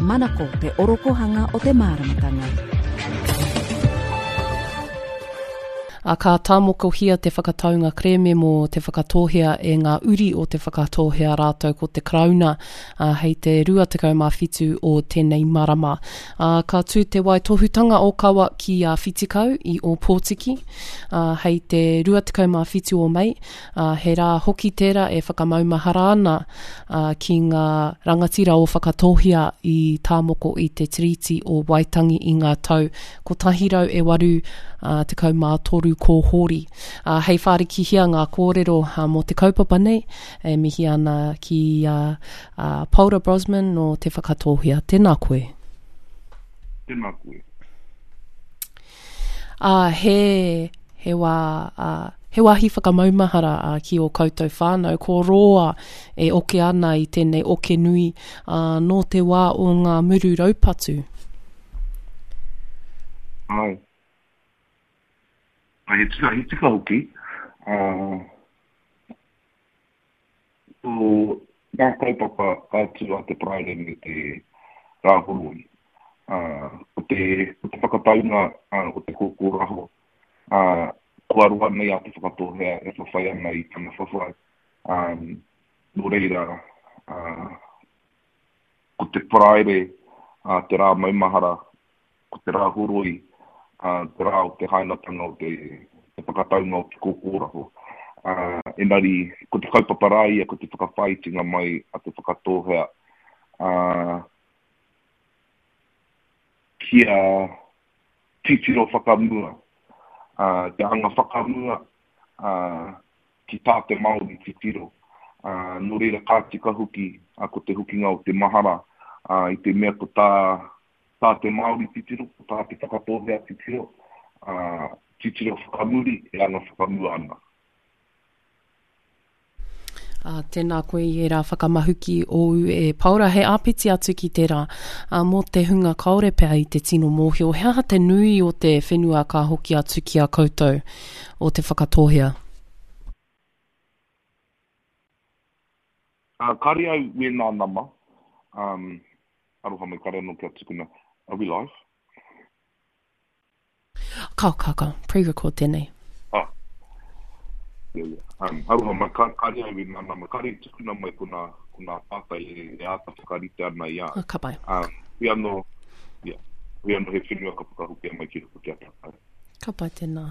Manako te orokohanga o te māramatanga. Ā, ka tāmokohia te whakataunga kerēme mō Te Whakatōhea e ngā uri o Te Whakatōhea rātou ko te Karauna, ā, hei te 27 o tēnei marama. Ā, ka tū te waitohutanga ōkawa ki a Whitikau i Ōpōtiki, ā, hei te 27 o Mei, ā, he rā hoki tērā e whakamaumahara ana ki ngā rangatira o Whakatōhea i tāmoko i te Tiriti o Waitangi i ngā tau 183 kōhori. Ā, hei whārikihia ngā kōrero mō te kaupapa nei, e mihi ana ki a Paora Brosman nō Te Whakatōhea. Tēnā koe. Tēnā koe. Ā, he, he wā, ā, he wāhi whakamaumahara, ā, ki ō koutou whānau, ko Rōa e oke ana i tēnei oke nui, ā, nō te wā o ngā muru raupatu. Āe. Ā, he tika, he tika hoki, ā, Ko ngā kaupapa ka tū a te Paraire me te Rāhoroi. Ko te, ko te whakataunga o te kōkōraho, kua roa nei a Te Whakatōhea e whawhai ana i tana whawhai. Nō reira, ko te Paraire te rā maumahara ko te rā horoi, te rā o te hainatanga o te whakataunga o te kōkōraho. Engari, ko te kaupapa rā ia, ko te whakawhāitinga mai a Te Whakatōhea kia titiro whakamua, kia anga whakamua ki tā te Māori titiro. Nō reira, ka tika hoki ko te hokinga o te mahara i te mea ko tā Tā te Māori titiro, ko tā Te Whakatōhea titiro, ā, titiro whakamuri e anga whakamua ana. Ā, tēnā koe i ērā whakamahuki ōu e Paora. He āpiti atu ki tērā, ā, mō te hunga kāore pea i te tino mōhio, he aha te nui o te whenua ka hoki atu ki a koutou o Te Whakatōhea? Ā, kāre au wēnā nama, um, Aroha mai, kare anō kia tukuna. Are we live? Ka, ka, ka. Pre-record tēnei. Ah. Yeah, yeah. Um, aroha mai, ka, kare au i nā nama. Kare i tukuna mai ko nā, ko nā pātai e, e āta whakarite ana i a. Ah, ka pai. Um, hui anō, yeah. Hui anō he whenua ka whakahokia mai ki roto ki a tātou. Ka pai tēnā.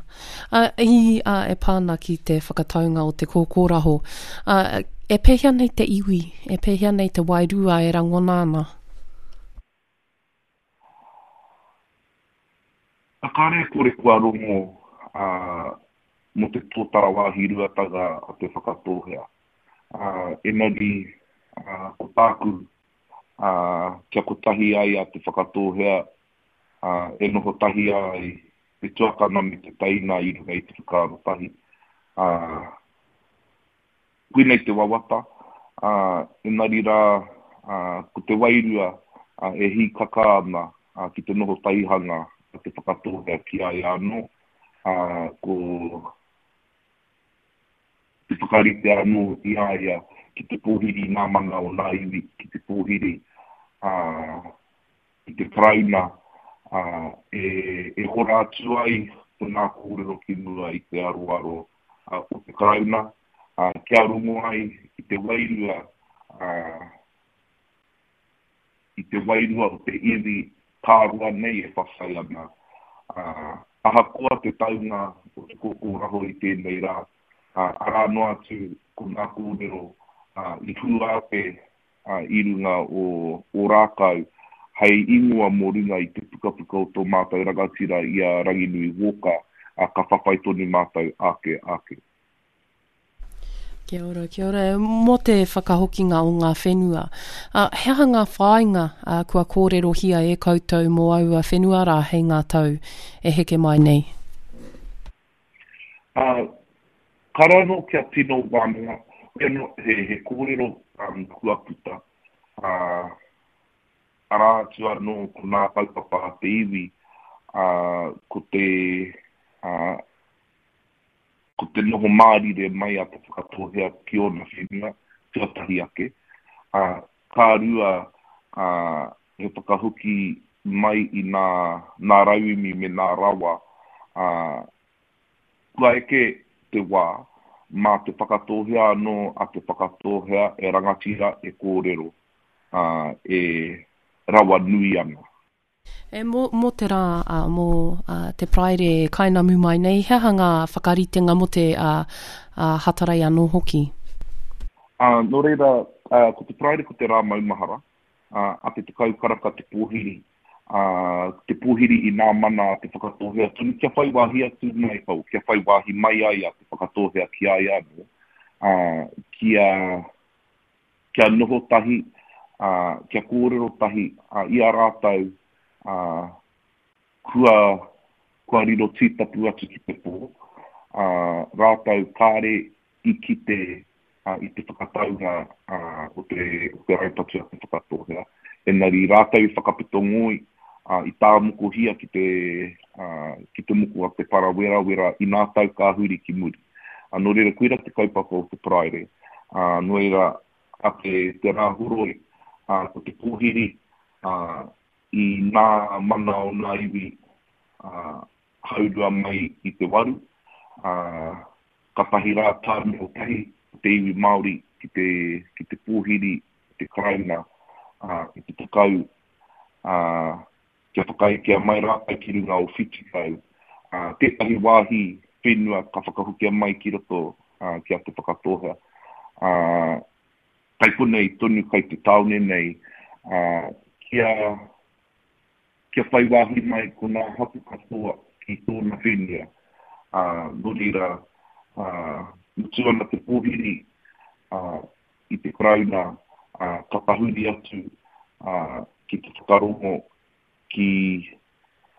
Ā, i, ā, e pā ana ki te whakataunga o te kōkōraho, ā, e pēhea nei te iwi, e pēhea nei te wairua e rangona ana? Ā, kāre e kore kua rongo, ā, mō te tōtara wāhi ruatanga a Te Whakatōhea. Ā, engari, ā, ko tāku, ā, kia kotahi ai a Te Whakatōhea ā, e noho tahi ai te tuakana me te teina i runga i te whakaaro tahi. Ā, koinei te wawata, ā, engari rā, ā, ko te wairua, ā, e hīkaka ana, ā, ki te noho tahihanga a Te Whakatōhea ki a ia anō, ā, ko te whakarite anō i a ia ki te pōhiri i ngā mana o ngā iwi, ki te pōhiri, ā, i te Karauna, ā, e hora atu ai ko ngā kōrero ki mua i te aroaro o te Karauna, ā, kia rongo ai i te wairua, ā, i te wairua o te iwi kā roa nei e whawhai ana, ā, ahakoa te taunga o te kōkōraho i tēnei rā, ā, arā noa atu ko ngā kōrero, ā, i hua ake i runga o Ōrākau hei ingoa mō runga i te pukapuka o tō mātou rangatira i a Ranginui Walker, ā, ka whawhai tonu mātou āke, āke. Kia ora, kia ora. Mō te whakahokinga o ngā whenua, ā, he aha ngā whāinga ā, kua kōrerohia e koutou mō aua whenua rā hei ngā tau e heke mai nei? Ā, kāre anō kia tino wānanga, hoi anō he, he kōrero um, kua puta, ā, arā atu anō ko nā kaupapa a te iwi, ā, ko te, ā, ko te noho mārire mai a Te Whakatōhea ki ōna whenua, tuatahi ake, ā, ka rua, ā, He whakahoki mai i nā, nā rauemi me nā rawa, ā, kua eke te wā, mā Te Whakatōhea anō a Te Whakatōhea e rangatira, e kōrero, ā, e rawa nui ana. E, mō, mō te rā, ā, mō, ā, te Paraire e kainamu mai nei, he aha ngā whakaritenga mō te, ā, ā, Hatarei anō hoki? Ā, nō reira, ā, ko te Paraire ko te rā maumahara, ā, a te 10 karaka te pōhiri, ā, te pōhiri i nā mana a Te Whakatōhea tonu kia whai wāhi atu mai, oh, kia whai wāhi mai ai a Te Whakatōhea ki a ia anō, ā, kia, kia noho tahi, ā, kia kōrero tahi, ā, i a rātou, ā, kua, kua riro tītapu atu ki te pō, ā, rātou kāre i kite, ā, i te whakataunga, ā, o te, o te raupatu a Te Whakatōhea. Engari rātou i whakapeto ngoi, ā, i tāmokohia ki te, ā, ki te moko a te parawerawera inā tau ka huri ki muri. Ā, nō reira, koira te kaupapa o te Paraire. Ā, nō reira, a te, te Rāhoroi, ā, ko te pōhiri, ā, i nā mana o nā iwi, ā, haurua mai i te waru, ā, katahi rā tā noho tahi ko te iwi Māori ki te, ki te pōhiri i te Karauna, ā, i te tekau, ā, kia whakaekea mai rātou ki runga o Whitikau, ā, tētahi wāhi whenua ka whakahokia mai ki roto ki a Te Whakatōhea. Ā, kai konei tonu kai te tāone nei, ā, kia, kia whai wāhi mai ko ngā hapū katoa ki tōna whenua. Ā, nō reira, ā, mutu ana te pōhiri, ā, i te Karauna, ā, ka tahuri atu, ā, ki te whakarongo ki,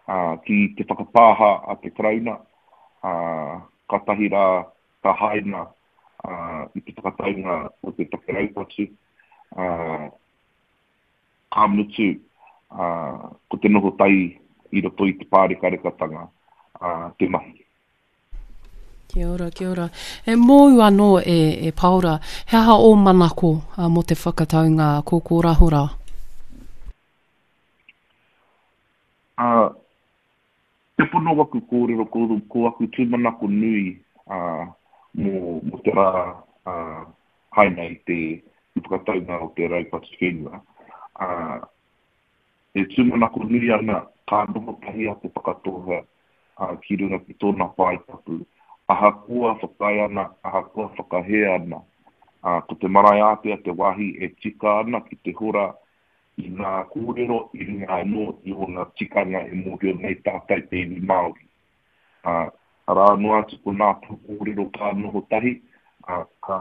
ā, ki te whakapāha a te Karauna, ā, kātahi rā ka haina, ā, i te whakataunga o te take raupatu, ā, ka mutu, ā, ko te noho tahi i roto i te pārekarekatanga, ā, te mahi. Kia ora, kia ora. E mōu anō e, e Paora, he aha ō manako uh, mō te whakataunga kōkōrahora? Uh, te pono waku kōrero, ko, ko aku tūmanako nui uh, mō, mō te rā uh, haina i te, te whakataunga o te raupatu whenua. Uh, E tūmanako nui ana ka noho tahi a Te Whakatōhea ki runga ki tōna pae tapu, ahakoa whakaae ana, ahakoa whakahē ana, ko te marae ātea te wāhi e tika ana ki te hora i ngā kōrero i runga anō i ōna tikanga e mōhio nei tātou te iwi Māori. Arā noa atu ko ngā pūkōrero ka noho tahi, ka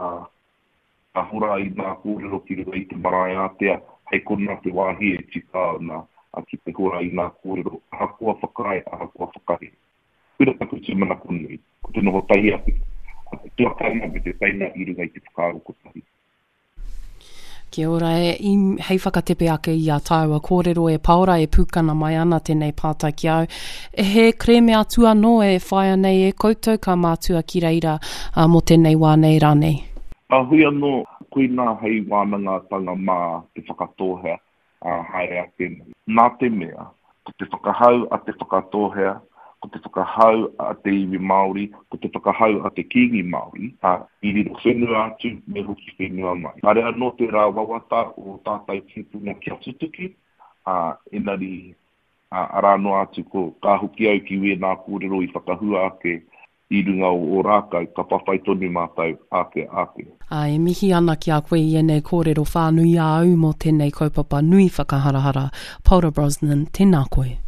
Ka hora i ngā kōrero ki runga i te marae ātea, hei konā te wāhi e tika ana ki te hora i ngā kōrero, ahakoa whakaae, ahakoa whakahē. Koira taku tūmanako nui, ko te noho tahi a te tuakana me te teina i runga i te whakaaro kotahi. Kia ora e, i, hei whakatepe ake i a tāua kōrero e Paora e pūkana mai ana tēnei pātai ki au. He kerēme atu anō e whāia nei e koutou ka mātua ki reira mō tēnei wā nei rānei? Ā, hui anō, koinā hei wānangatanga mā Te Whakatōhea, ā, haere ake nei. Nā te mea, ko te whakahau a Te Whakatōhea, ko te whakahau a te iwi Māori, ko te whakahau a te Kīngi Māori, ā, i riro whenua atu, me hoki whenua mai. Kāre anō tērā wawata o tātou tīpuna kia tutuki, ā, engari, ā, arā noa atu ko, ka hoki au ki wēnā kōrero i whakahua ake i runga o Ōrākau, ka whawhai tonu mātou, āke, āke. Ā, e mihi ana ki a koe i ēnei kōrero whānui a au mō tēnei kaupapa nui whakaharahara. Paora Brosnan, tēnā koe.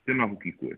Tēnā hoki koe.